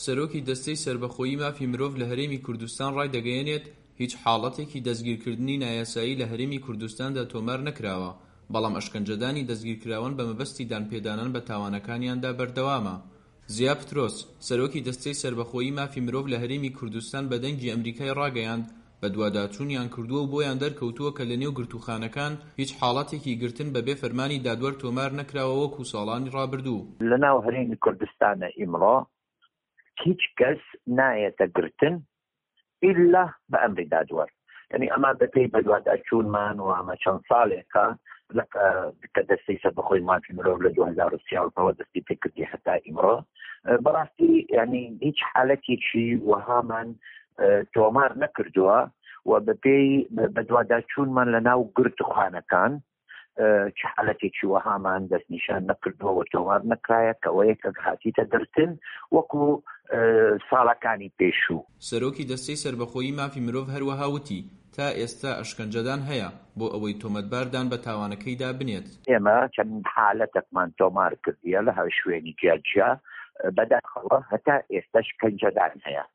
سەرۆکی دەستەی سەربەخۆی مافی مرۆڤ لە هەرێمی کوردستان ڕایدەگەیەنێت، هیچ حاڵەتێکی دەستگیرکردنی نایاسایی لە هەرێمی کوردستاندا تۆمار نەکراوە، بەڵام ئەشکەنجەدانی دەستگیرکراوان بە مەبەستی دانپێدانان بە تاوانەکانیاندا بەردەوامە. زیا پترۆس، سەرۆکی دەستەی سەربەخۆی مافی مرۆڤ لە هەرێمی کوردستان بە دەنگی ئەمریکای ڕاگەیاند، بەدواداچوونیان کردووە و بۆیان دەرکەوتووە کە لەنێو گرتووخانەکان هیچ حاڵەتێکی گرتن بەبێ فەرمانی دادوەر تۆمار نەکراوە وەکو ساڵانی ڕابردوو. لەناو هەرێمی کوردستانە ئیمڕۆ هیچ کەس نایەتە گرتن ئیلا بە ئەمری دادوەر یعنی ئەمە بەپێی بەدواداچوونمان و ئەمە چەند ساڵێکە کە دەستەی سەربەخۆی مافی مرۆڤ لە 2013ەوە دەستی پێکردی هەتا ئیمڕۆ بەڕاستی ینی هیچ حالەتێکی وەهامان تۆمار نەکردووە و بەپێی بەدواداچوونمان لە ناو گرتوخانەکان چ حالەتێکی وەهامان دەستنیشان نەکردووە و تۆمار نەکرایە کەەوە یەکەک هاتیتە گرتن وەکو ساڵەکانی پێشوو. سەرۆکی دەستەی سەربەخۆیی مافی مرۆڤ هەروەها وتی، تا ئێستا ئەشکەنجەدان هەیە، بۆ ئەوەی تۆمەتبار دان بە تاوانەکەیدا بنێت. ئێمە چەند حالەتەکمان تۆمار کردیە لە هەر شوێنی جیا جیا، بەداخەوە هەتا ئێستا شکەنجەدان هەیە،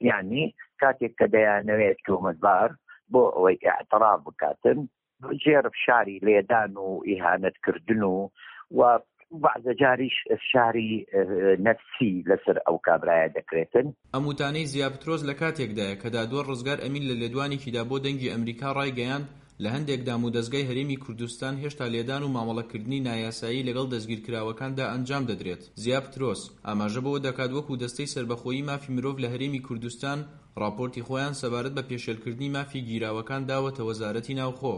یانی کاتێک کە دەیانەوێت تۆمەتبار بۆ ئەوەی ئیعتراف بکاتن ژێر فشاری لێدان و ئیهانەت کردن و و بەعزە جاریش فشاری نەفسی لەسەر ئەو کابرایە دەکرێتن. ئەم وتانەی زیا پترۆس لە کاتێکدایە کە دادوەر ڕزگار ئەمین لە لێدوانێکیدا بۆ دەنگی ئەمریکا ڕایگەیاند لە هەندێک دامودەزگای هەرێمی کوردستان هێشتا لێدان و مامەڵەکردنی نایاسایی لەگەڵ دەستگیرکراوەکاندا ئەنجام دەدرێت. زیا پترۆس، ئاماژە بەوە دەکات وەکو دەستەی سەربەخۆیی مافی مرۆڤ لە هەرێمی کوردستان ڕاپۆرتی خۆیان سەبارەت بە پێشێلکردنی مافی گیراوەکان داوەتە وەزارەتی ناوخۆ.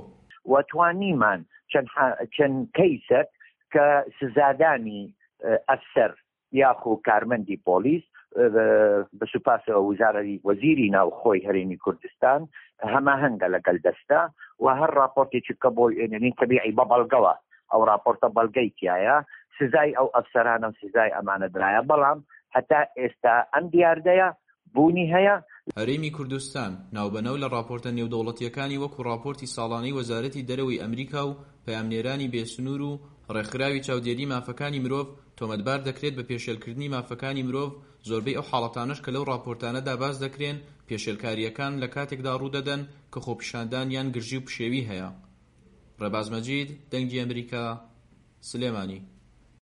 و توانیمان چەند کەیسەک کە سزادانی ئەفسەر یاخو کارمەندی پۆلیس بە سوپاسەوە وزارەی وەزیری ناوخۆی هەرێمی کوردستان هەماهەنگە لەگەل دەستە و هەر راپۆرتێکی کە بۆی ئێنێنین تەبیعی بە بەڵگەوە ئەو راپۆرتە بەڵگەی تایە سزای ئەو ئەفسەرانە و سزای ئەمانە درایە بەڵام هەتا ئێستا ئەم دیاردەیە بوونی هەیە. هەرێمی کوردستان، ناوبەناو لە ڕاپۆرتە نێودەوڵەتییەکانی وەکو ڕاپۆرتی ساڵانەی وەزارەتی دەرەوەی ئەمریکا و پەیامنێرانی بێسنوور و ڕێکخراوی چاودێری مافەکانی مرۆڤ تۆمەتبار دەکرێت بە پێشێلکردنی مافەکانی مرۆڤ، زۆربەی ئەو حاڵەتانەش کە لەو ڕاپۆرتانەدا باس دەکرێن، پێشێلکارییەکان لە کاتێکدا ڕوودەدەن کە خۆپیشاندان یان گرژی و پشێوی هەیە. ڕێباز مەجید، دەنگی ئەمریکا، سلێمانی.